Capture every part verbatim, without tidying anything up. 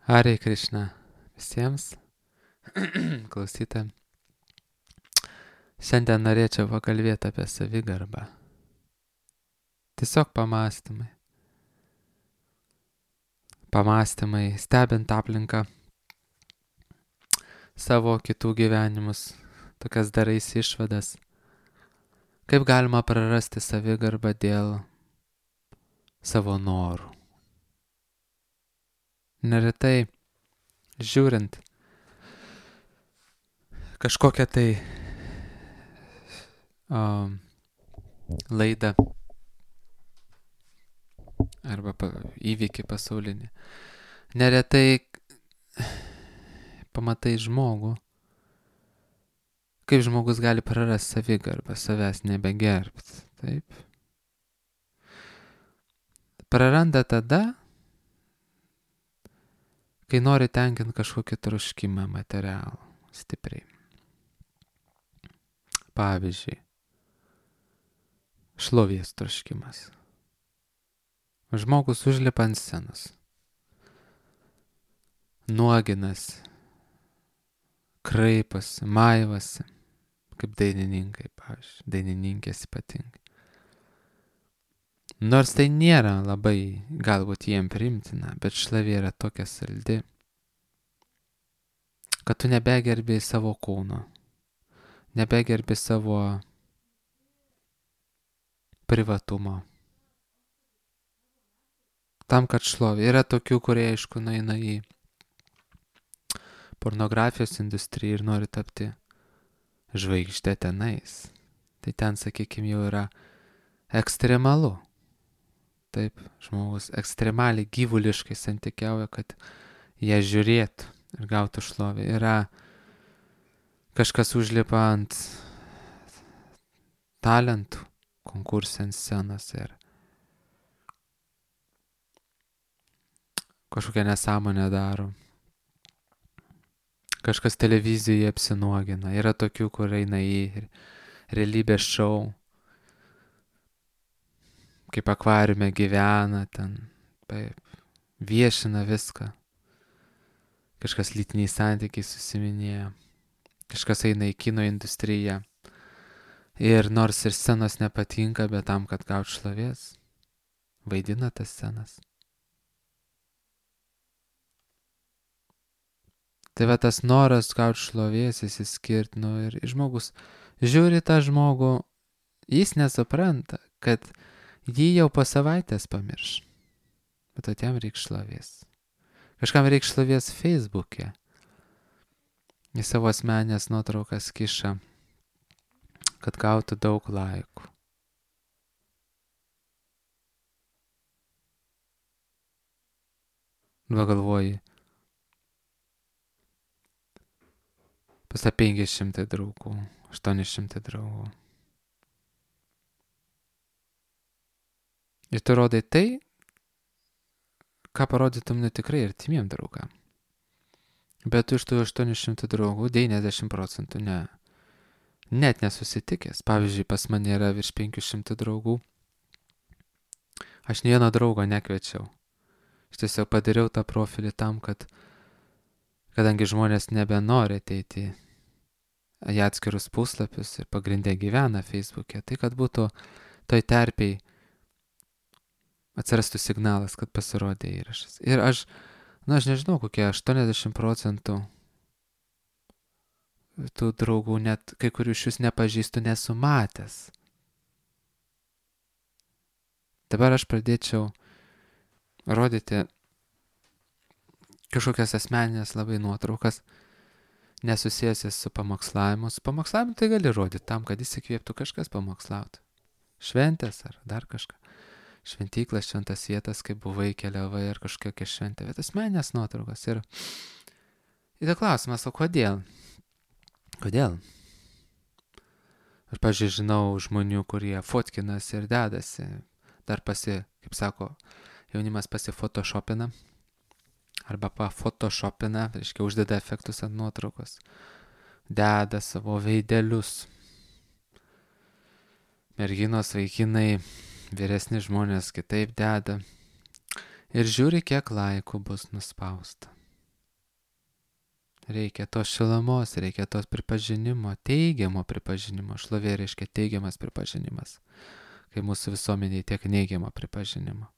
Hare Krishna visiems klausytojams. Šiandien norėčiau pakalbėti apie savigarbą. Tiesiog pamąstymai. Pamąstymai, stebint aplinką, savo kitų gyvenimus, tokias darais išvadas. Kaip galima prarasti savigarbą dėl savo norų. Neretai žiūrint kažkokią tai um, laidą arba pa, įvykį pasaulinį, neretai pamatai žmogų, kaip žmogus gali prarasti savigarbą, savęs nebegerbti. Taip. Praranda tada, kai nori tenkinti kažkokį troškimą materialų, stipriai. Pavyzdžiui, šlovės troškimas. Žmogus užlipa ant scenos, nuoginas, kraiposi, maivasi, kaip dainininkai, pavyzdžiui, dainininkės ypatingai. Nors tai nėra labai galbūt jiem priimtina, bet šlovė yra tokia saldi, kad tu nebegerbi savo kūno, nebegerbi savo privatumo. Tam, kad šlovė. Yra tokių, kurie, aišku, nueina į pornografijos industriją ir nori tapti žvaigždė tenais. Tai ten, sakykime, jau yra ekstremalu. Taip, žmogus ekstremaliai gyvuliškai santykiauja, kad jie žiūrėtų ir gautų šlovę. Yra kažkas užlipa ant talentų konkursą ant scenos ir kažkokią nesąmonę daro. Kažkas televizijoje apsinuogina. Yra tokių, kur eina į realybės šou, kaip akvariume gyvena, ten taip, viešina viską. Kažkas lytiniai santykiai susiminėja. Kažkas eina į kino industriją. Ir nors ir scenos nepatinka, bet tam, kad gautų šlovės, vaidina tas scenas. Tai va tas noras gauti šlovės, įsiskirti, nu ir žmogus žiūri tą žmogų, jis nesupranta, kad jį jau po savaitės pamirš. Bet at jam reikia šlovės. Kažkam reikia šlovės Facebook'e. Į savo asmenės nuotraukas kiša, kad gautų daug laikų. Va galvoji, pas penki šimtai draugų, aštuoni šimtai draugų. Ir tu rodai tai, ką parodytum ne tikrai artimiem draugam. Bet tu iš tų aštuonių šimtų draugų devyniasdešimt procentų ne, net nesusitikęs. Pavyzdžiui, pas mane yra virš penkių šimtų draugų. Aš nei vieno draugo nekviečiau. Aš tiesiog padariau tą profilį tam, kad kadangi žmonės nebenori ateiti į atskirus puslapius ir pagrindė gyvena Facebook'e, tai kad būtų toj terpiai atsirastų signalas, kad pasirodė įrašas. Ir aš, na, aš nežinau, kokie aštuoniasdešimt procentų tų draugų, net kai kurių iš jūs nepažįstu, nesu matęs. Dabar aš pradėčiau rodyti kažkokias asmeninės labai nuotraukas, nesusijęs su pamokslavimu. Su pamokslavimu tai gali rodyti tam, kad įsikvėptų kažkas pamokslauti. Šventės ar dar kažką. Šventyklas, šventas vietas, kaip buvai, keliavai ar kažkokia šventė. Bet asmeninės nuotraukas. Ir yra klausimas, o kodėl? Kodėl? Aš, pavyzdžiui, žinau žmonių, kurie fotkinasi ir dedasi. Dar pasi, kaip sako, jaunimas pasifotoshopina. Arba pafotoshopina, reiškia uždeda efektus ant nuotraukos, deda savo veidelius. Merginos, vaikinai, vyresni žmonės kitaip deda. Ir žiūri, kiek laikų bus nuspausta. Reikia tos šilumos, reikia tos pripažinimo, teigiamo pripažinimo. Šlovė reiškia teigiamas pripažinimas. Kai mūsų visuomeniai tiek neigiamo pripažinimo.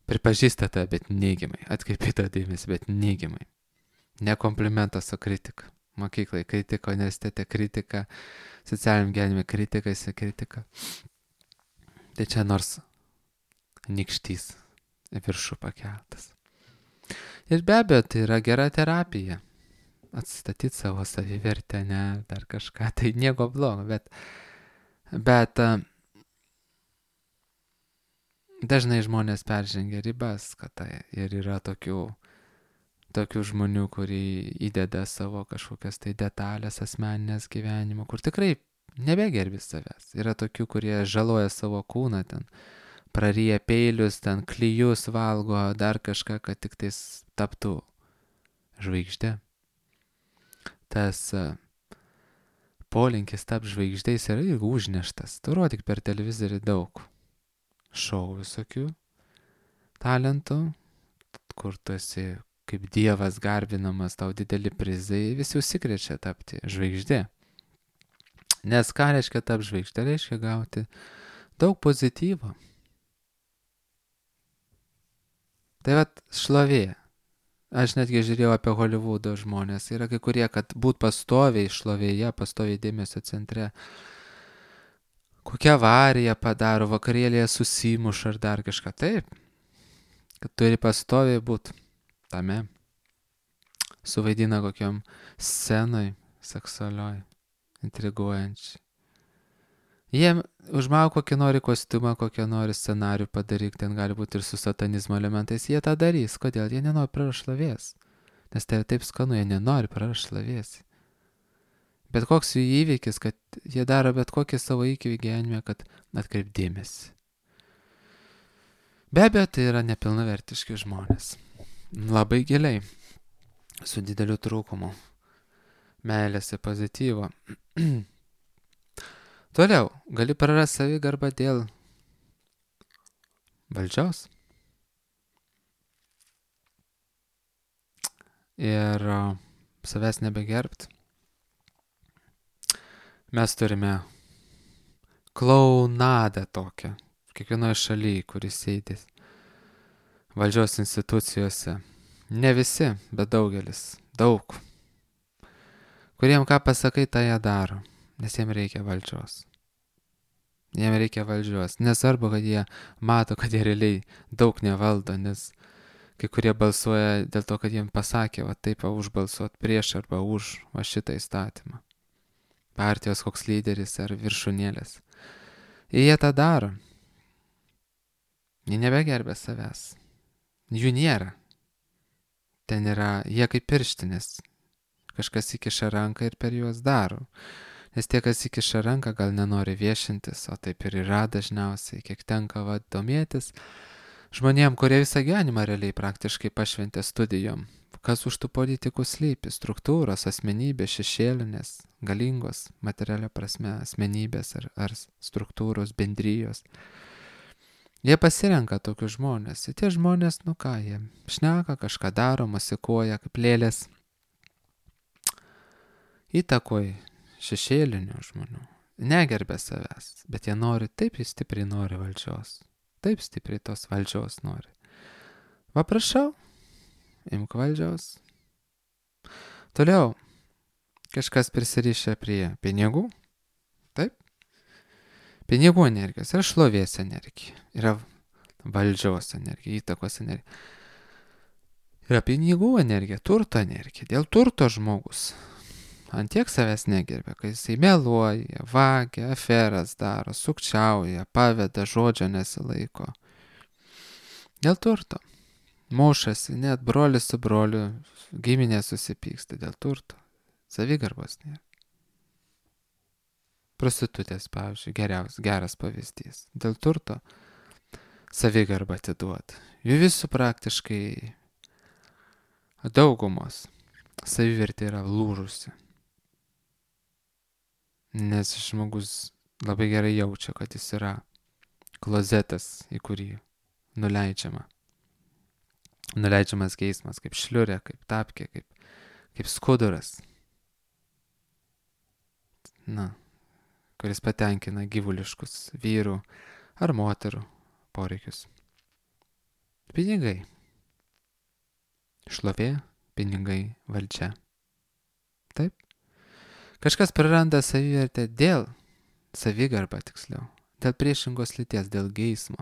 Pripažįsta tą, bet neigiamai. Atkreipia dėmesį, bet neigiamai. Ne komplimentas, o kritika. Mokyklai kritika, universitete kritika, socialiniam gyvenime kritika, jis kritika. Tai čia nors nykštys viršų pakeltas. Ir be abejo, tai yra gera terapija. Atstatyti savo savivertę, ne, dar kažką, tai nieko blogo, bet, bet dažnai žmonės peržengia ribas, kad tai ir yra tokių, tokių žmonių, kurie įdeda savo kažkokias tai detalės asmeninės gyvenimo, kur tikrai nebegerbi savęs. Yra tokių, kurie žaloja savo kūną ten, praryja peilius, ten klijus valgo, dar kažką, kad tik tais taptų žvaigždė. Tas polinkis tap žvaigždės yra ir užneštas. Tu rodyk per televizorių daug šou visokių talentų, kur tu esi kaip dievas garbinamas, tau dideli prizai, visi užsikrečia tapti žvaigždė. Nes ką reiškia tap žvaigždė? Reiškia gauti daug pozityvo. Tai vat šlovė. Aš netgi žiūrėjau apie Holivudo žmonės. Yra kai kurie, kad būt pastoviai šlovėje, pastoviai dėmesio centre. Kokią avariją padaro, vakarėlėje susimuša ar dar kažką. Taip, kad turi pastoviai būt tame. Suvaidina kokiam scenoj seksualioj, intriguojančiai. Jie užmau kokį nori kostiumą, kokią nori scenarių padaryk, ten gali būti ir su satanizmo elementais, jie tą darys. Kodėl? Jie nenori prarasti šlovės. Nes tai taip skanu, jie nenori prarasti šlovės. Bet koks jų įvykis, kad jie daro bet kokį savo įvykį gyvenime, kad atkreip dėmesį. Be abejo, tai yra nepilnavertiški žmonės. Labai giliai, su dideliu trūkumu. Meilės ir pozityvo. Toliau, gali prarasti savigarbą dėl valdžios. Ir uh, savęs nebegerbt. Mes turime klaunadą tokią, kiekvienoje šalyje, kuris sėdės valdžios institucijose. Ne visi, bet daugelis, daug. Kuriem ką pasakai, tą jie daro. Nes jiems reikia valdžios. Jiems reikia valdžios. Nesvarbu, kad jie mato, kad jie realiai daug nevaldo, nes kai kurie balsuoja dėl to, kad jiems pasakė, va taip, va, užbalsuot prieš arba už va šitą įstatymą. Partijos koks lyderis ar viršūnėlės. Ir jie tą daro. Jie nebegerbė savęs. Jų nėra. Ten yra, jie kaip pirštinės. Kažkas įkiša ranką ir per juos daro. Nes tie, kas įkiša ranką, gal nenori viešintis, o taip ir yra dažniausiai, kiek tenka va, domėtis žmonėm, kurie visą gyvenimą realiai praktiškai pašventė studijom. Kas už tų politikų slypi? Struktūros, asmenybės, šešėlinės, galingos, materialia prasme, asmenybės ar, ar struktūros, bendrijos. Jie pasirenka tokius žmonės. Ir tie žmonės, nu ką, jie šneka, kažką daro, masikuoja kaip lėlės. Įtakoj šešėlinių žmonių. Negerbė savęs, bet jie nori, taip jis stipriai nori valdžios. Taip stipriai tos valdžios nori. Va prašau, imk valdžios. Toliau, kažkas prisirišę prie pinigų. Taip. Pinigų energijos yra šlovės energija. Yra valdžios energija, įtakos energija. Yra pinigų energija, turto energija. Dėl turto žmogus antiek savęs negerbė, kai jisai meluoja, vagia, aferas daro, sukčiauja, paveda, žodžio nesilaiko. Dėl turto. Mušasi, net brolis su broliu, giminė susipyksta dėl turto. Savigarbos nėra. Prostitutės, pavyzdžiui, geriausias, geras pavyzdys. Dėl turto savigarbą atiduoda. Jų visų praktiškai daugumos savivertė yra lūžusi. Nes žmogus labai gerai jaučia, kad jis yra klozetas, į kurį nuleidžiama. Nuleidžiamas geismas, kaip šliurė, kaip tapkė, kaip, kaip skuduras. Na, kuris patenkina gyvuliškus vyrų ar moterų poreikius. Pinigai. Šlovė, pinigai, valdžia. Taip. Kažkas praranda savivertę dėl, savigarbą tiksliau, dėl priešingos lyties, dėl geismo.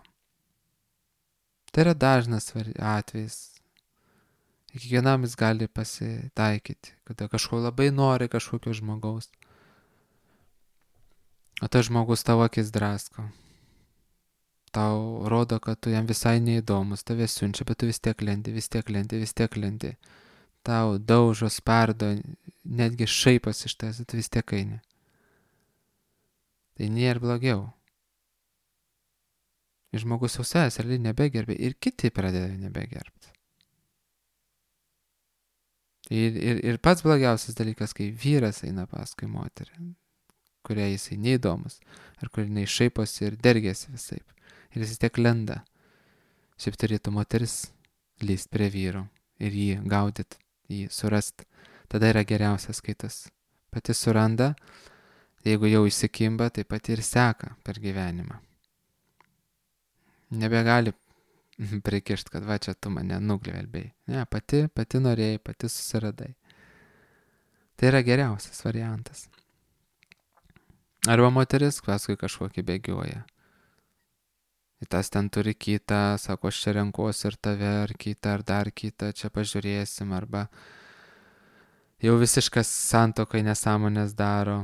Tai yra dažnas atvejis. Kiekvienam jis gali pasitaikyti, kada kažko labai nori kažkokio žmogaus. O tas žmogus tavo akis drasko. Tau rodo, kad tu jam visai neįdomus, tave siunčia, bet tu vis tiek lendi, vis tiek lendi, vis tiek lendi. Tau daužo, spardo, netgi šaipas iš tavęs, tu vis tiek eini. Tai nėra blogiau. Ir žmogus jau savęs realiai nebegerbė ir kiti pradeda nebegerbti. Ir, ir, ir pats blogiausias dalykas, kai vyras eina paskui moterį, kuriai jisai neįdomus, ar kur jinai šaiposi ir dergėsi visaip. Ir jis vis tiek lenda. Šiaip turėtų moteris lyst prie vyro ir jį gaudyt, jį surast. Tada yra geriausias, kai tas pati suranda, jeigu jau įsikimba, tai pati ir seka per gyvenimą. Nebegali prikišt, kad va čia tu mane nuglvelbėjai. Ne, pati, pati norėjai, pati susiradai. Tai yra geriausias variantas. Arba moteris paskui kažkokį bėgioja. Ir tas ten turi kitą, sako, aš čia renkuosi ir tave, ar kitą, ar dar kitą, čia pažiūrėsim, arba jau visiškas santuokai nesąmonės daro.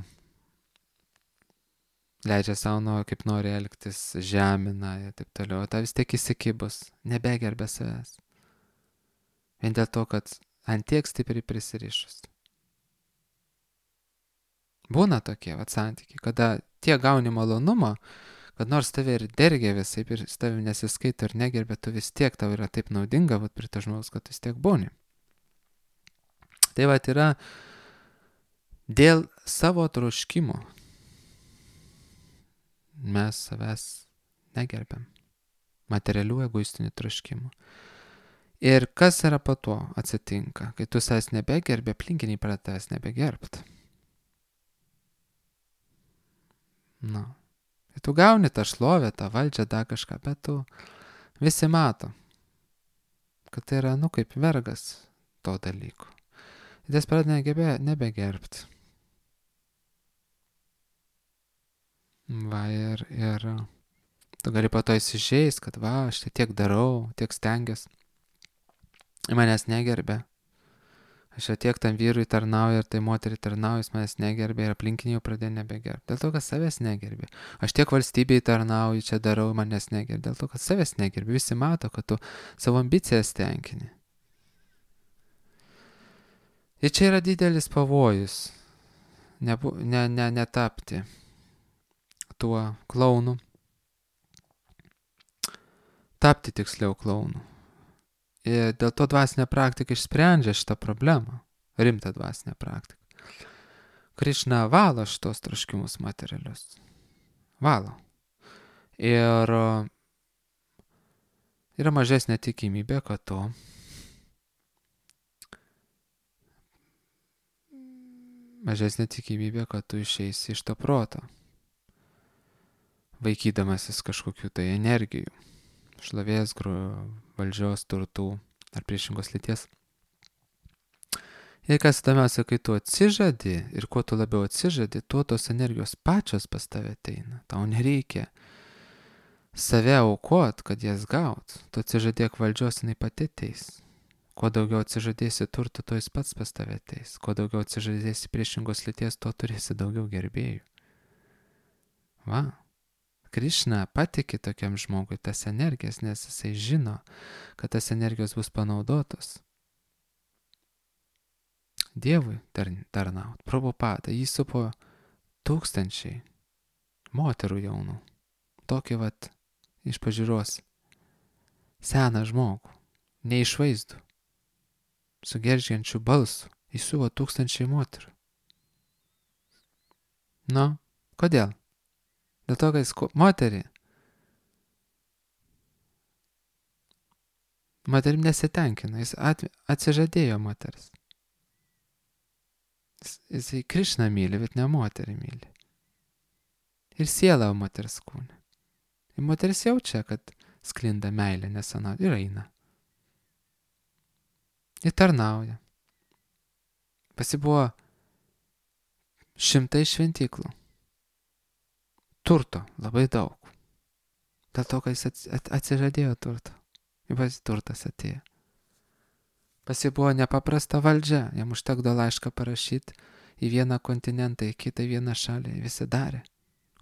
Leidžia savo, nu, kaip nori elgtis, žemina ir taip toliau. Ta vis tiek įsikibus, nebegerbė savęs. Vien dėl to, kad ant tiek stipriai prisirišus. Būna tokie vat santykiai, kada tiek gauni malonumo, kad nors tave ir dergia visaip ir tavim nesiskaito ir negerbė, tu vis tiek tau yra taip naudinga vat prie to žmogaus, kad vis tiek būni. Tai vat yra dėl savo troškimo. Mes savęs negerbiam. Materialių egoistinių troškimų. Ir kas yra po to atsitinka, kai tu savęs nebegerbi, aplinkiniai pradeda tavęs nebegerbt. Nu. Tai tu gauni tą šlovę, tą valdžią, dar kažką, bet tu visi mato, kad tai yra, nu, kaip vergas to dalyko. Ir jis pradeda negebė, nebegerbti. Va, ir, ir tu gali po to įsižeist, kad va, aš tai tiek darau, tiek stengiuosi. Manęs negerbė. Aš jau tiek tam vyrui tarnauju ir tai moteriai tarnauju, jis manęs negerbė ir aplinkiniai jau pradėjo nebegerbti. Dėl to, kad savęs negerbė. Aš tiek valstybei tarnauju, čia darau, manęs negerbė. Dėl to, kad savęs negerbė. Visi mato, kad tu savo ambicijas tenkini. Ir čia yra didelis pavojus. Nebu, ne, ne, netapti tuo klaunu. Tapti tiksliau klaunu. Ir dėl to dvasinė praktika išsprendžia šitą problemą. Rimtą dvasinę praktiką. Krišna valo šitos troškimus materialius. Valo. Ir yra mažesnė tikimybė, kad tu mažesnė tikimybė, kad tu išeisi iš to proto. Vaikydamasis kažkokių tai energijų. Šlovės, valdžios, turtų ar priešingos lyties. Ir kas įdomiausia, kai tu atsižadi ir kuo tu labiau atsižadi, tuo tos energijos pačios pas tave ateina. Tau nereikia save aukot, kad jas gaut. Tu atsižadėk valdžios, jinai pati ateis. Kuo daugiau atsižadėsi turtų, to jis pats pas tave ateis. Kuo daugiau atsižadėsi priešingos lyties, tuo turėsi daugiau gerbėjų. Va. Krišna patiki tokiam žmogui tas energijas, nes jisai žino, kad tas energijos bus panaudotos Dievui tarnaut. Prabhupada, jį supo tūkstančiai moterų jaunų. Tokį vat iš pažiūros seną žmogų, neišvaizdų, su gergžiančiu balsu. Jis supo tūkstančiai moterų. Nu, kodėl? Dėl to, kad jis moterį, moterim nesitenkina, jis at, atsižadėjo moteris. Jis, jisai Krišną myli, bet ne moterį myli. Ir siela moters kūne. Ir moteris jaučia, kad sklinda meilė nesena ir eina. Ir tarnauja. Pasi buvo šimtai šventyklų. Turto labai daug. Dėl to, kad jis atsižadėjo turto. Ir pasi turtas atėjo. Pasi buvo nepaprasta valdžia. Jam užtekdo laišką parašyti į vieną kontinentą, į kitą, į vieną šalį. Visi darė.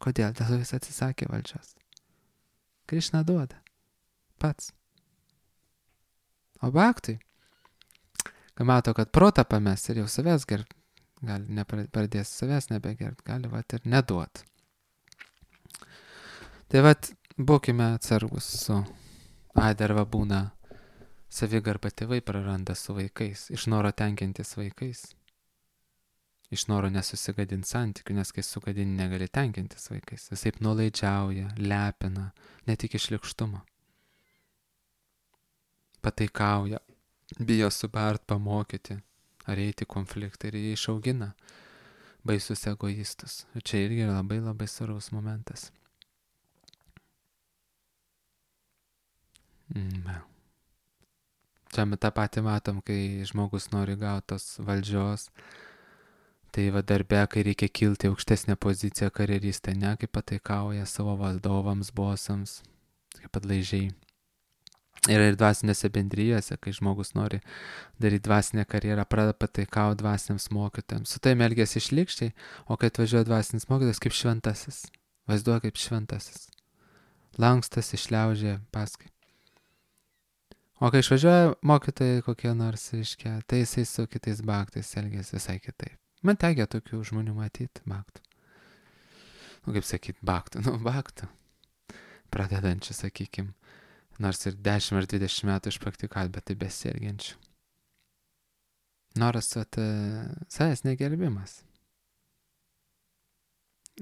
Kodėl? Dėl to jis atsisakė valdžios. Krišna duoda. Pats. O baktui, kai mato, kad protą pames ir jau savęs gerb, gali nepradės savęs nebegert, gali vat ir neduot. Tai vat būkime atsargus su aiderva būna savigarba tėvai praranda su vaikais, iš noro tenkintis vaikais, iš noro nesusigadinti santykių, nes kai sugadini negali tenkintis vaikais, visaip nuolaidžiauja, lepina, ne tik iš šlykštumo. Pataikauja, bijo subart, pamokyti, ar eiti konfliktą ir jie išaugina baisus egoistus. Ir čia irgi yra labai labai svarbus momentas. Mm. Čia tą patį matom, kai žmogus nori gauti tos valdžios, tai va darbe, kai reikia kilti aukštesnę poziciją karjeristai, ne, kaip pataikauja savo vadovams, bosams, kaip atlaidžiai. Yra ir dvasinėse bendrijose, kai žmogus nori daryti dvasinę karjerą, pradeda pataikauti dvasiniams mokytojams. Su tai elgiasi šlykščiai, o kai atvažiuoja dvasinis mokytojas kaip šventasis, vaizduoja kaip šventasis. Lankstasi, šliaužia paskui. O kai išvažiuoja mokytojai kokie nors, reiškia, tai jisai su kitais baktais elgiasi visai kitaip. Man tekia tokių žmonių matyti, baktų. Nu, kaip sakyt, baktų, nu, baktų. Pradedančių, sakykim, nors ir dešimt ar dvidešimt metų išpraktikavę, bet tai besielgiančių. Noras, vat, savęs negerbimas.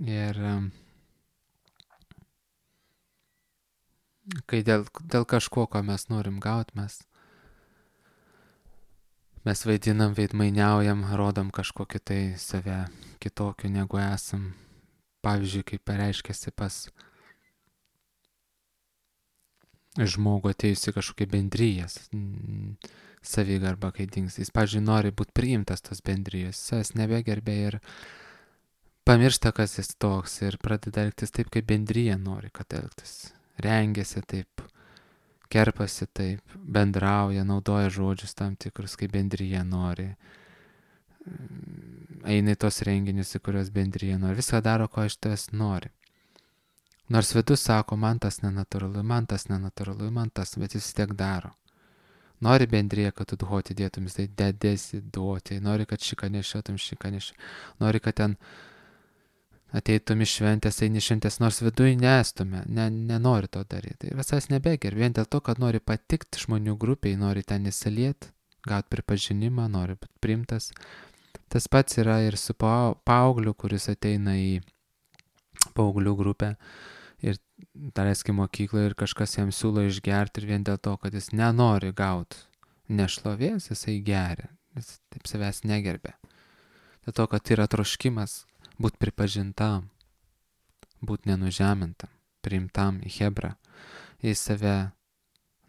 Ir kai dėl, dėl kažko, ko mes norim gauti, mes, mes vaidinam, veidmainiaujam, rodom kažkokį tai save kitokiu negu esam. Pavyzdžiui, kaip pareiškėsi pas žmogų atėjusi kažkokia bendrijas, savigarba, kai dings. Jis, pavyzdžiui, nori būti priimtas tos bendrijos, savęs nebegerbė ir pamiršta, kas jis toks ir pradeda elgtis taip, kaip bendrija nori, kad elgtis. Rengiasi taip, kerpasi taip, bendrauja, naudoja žodžius tam tikrus, kaip bendrija nori. Eina į tos renginius, į kurios bendrija nori. Viską daro, ko iš tavęs nori. Nors vidus sako, man tas nenatūralu, man tas nenatūralu, man tas, bet jis tiek daro. Nori bendrija, kad tu duoti dėtum, jis tai dedėsi duoti. Nori, kad šiką nešiotum, šiką nešiotum. Nori, kad ten ateitum iš šventės, eini šventės, nors viduje nestume, ne, nenori to daryti. Ir visas nebeger, vien dėl to, kad nori patikti žmonių grupiai, nori ten įsilieti, gauti pripažinimą, nori būti priimtas. Tas pats yra ir su paaugliu, kuris ateina į paauglių grupę ir daleiskai mokykloje ir kažkas jam siūlo išgerti ir vien dėl to, kad jis nenori gauti nešlovės, jisai geria, jis taip savęs negerbė. Dėl to, kad yra troškimas būti pripažintam, būti nenužemintam, priimtam į Hebrą. Jis save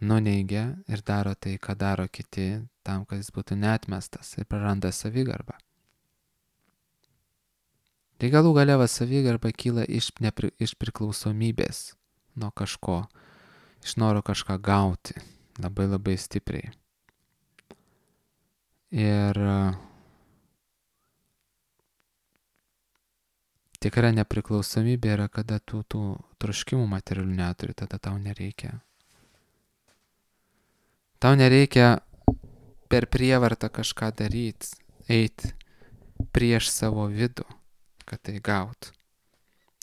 nuneigia ir daro tai, ką daro kiti, tam, kad jis būtų neatmestas ir praranda savigarbą. Tai galų gale va savigarba kyla iš, nepri, iš priklausomybės nuo kažko, iš noro kažką gauti labai labai stipriai. Ir tikra nepriklausomybė yra, kada tu tų troškimų materialių neturi, tada tau nereikia. Tau nereikia per prievartą kažką daryti, eiti prieš savo vidų, kad tai gaut.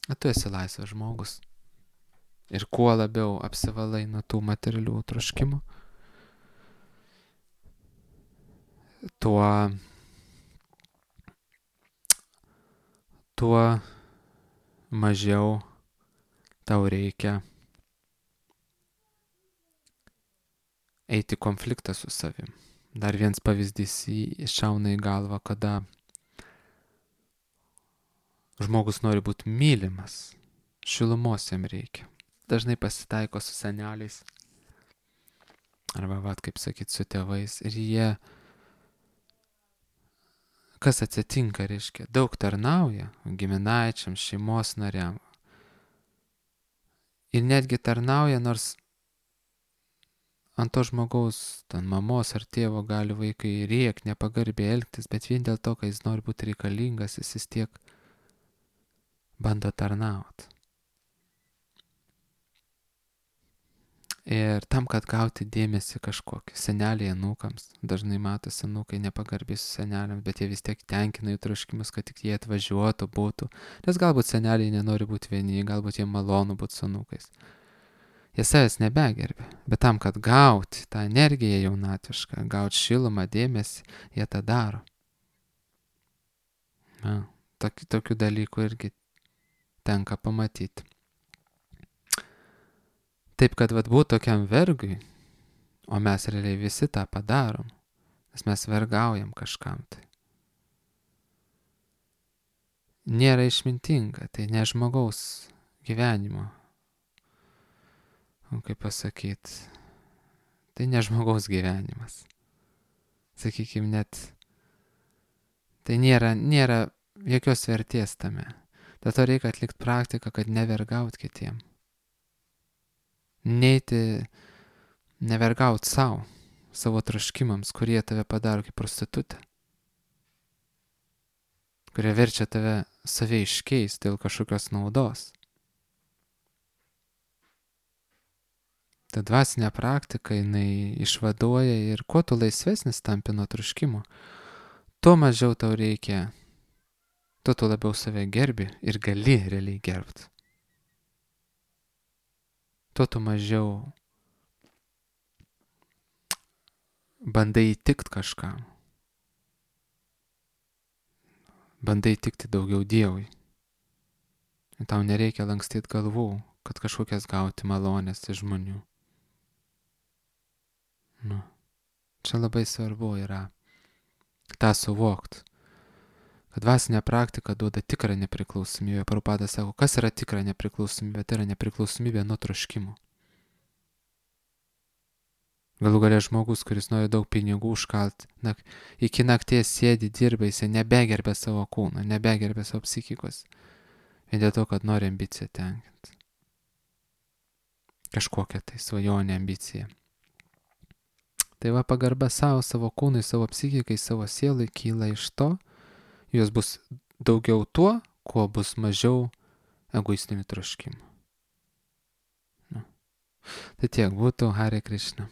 O tu esi laisvas žmogus. Ir kuo labiau apsivalai nuo tų materialių troškimų, tuo tuo mažiau tau reikia eiti konfliktą su savim. Dar vienas pavyzdys iššauna į galvą, kada Žmogus nori būti mylimas. Šilumos jam reikia. Dažnai pasitaiko su seneliais. Arba, vat, kaip sakyt, su tėvais. Ir jie, kas atsitinka, reiškia, daug tarnauja giminaičiam, šeimos nariam. Ir netgi tarnauja, nors ant to žmogaus, ten mamos ar tėvo gali vaikai rėk, nepagarbiai elgtis, bet vien dėl to, kad jis nori būti reikalingas, jis vis tiek bando tarnauti. Ir tam, kad gauti dėmesį kažkokį, seneliai anūkams, dažnai matosi anūkai nepagarbiai su seneliams, bet jie vis tiek tenkina jų troškimus, kad tik jie atvažiuotų, būtų. Nes galbūt seneliai nenori būti vieni, galbūt jie malonu būti su anūkais. Jie savęs nebegerbė, bet tam, kad gauti tą energiją jaunatvišką, gauti šilumą, dėmesį, jie tą daro. Na, tokių, tokių dalykų irgi tenka pamatyti. Taip, kad vat būtų tokiam vergui, o mes realiai visi tą padarom, nes mes vergaujam kažkam tai. Nėra išmintinga, tai ne žmogaus gyvenimo. O kaip pasakyti, tai ne žmogaus gyvenimas. Sakykime, net tai nėra, nėra jokios vertės tame. Dėl to reikia atlikti praktiką, kad nevergaut kitiem. Neiti, nevergaut savo, savo troškimams, kurie tave padaro kaip prostitutę. Kurie verčia tave save iškeisti dėl kažkokios naudos. Ta dvasinė praktika, jinai išvaduoja ir kuo tu laisvesnis tampi nuo troškimo, tuo mažiau tau reikia, tuo tu labiau save gerbi ir gali realiai gerbti. Tuo tu mažiau bandai įtikti kažkam. Bandai įtikti daugiau Dievui. Ir tau nereikia lankstyti galvų, kad kažkokias gauti malonės iš žmonių. Nu, čia labai svarbu yra tą suvokti, kad dvasinė praktika duoda tikrą nepriklausomybę. Prabhupada sako, kas yra tikra nepriklausomybė? Tai yra nepriklausomybė nuo troškimų. Galų galia žmogus, kuris nori daug pinigų užkalt, nak, iki nakties sėdi, dirba, jisai nebegerbė savo kūną, nebegerbė savo psichikos. Vien dėl to, kad nori ambiciją tenkinti. Kažkokią tai svajonę ambiciją. Tai va pagarba savo, savo kūnui, savo psichikai, savo sielai kyla iš to, jos bus daugiau tuo, kuo bus mažiau egoistinių troškimų. Nu. Tai tiek būtų. Hare Krishna.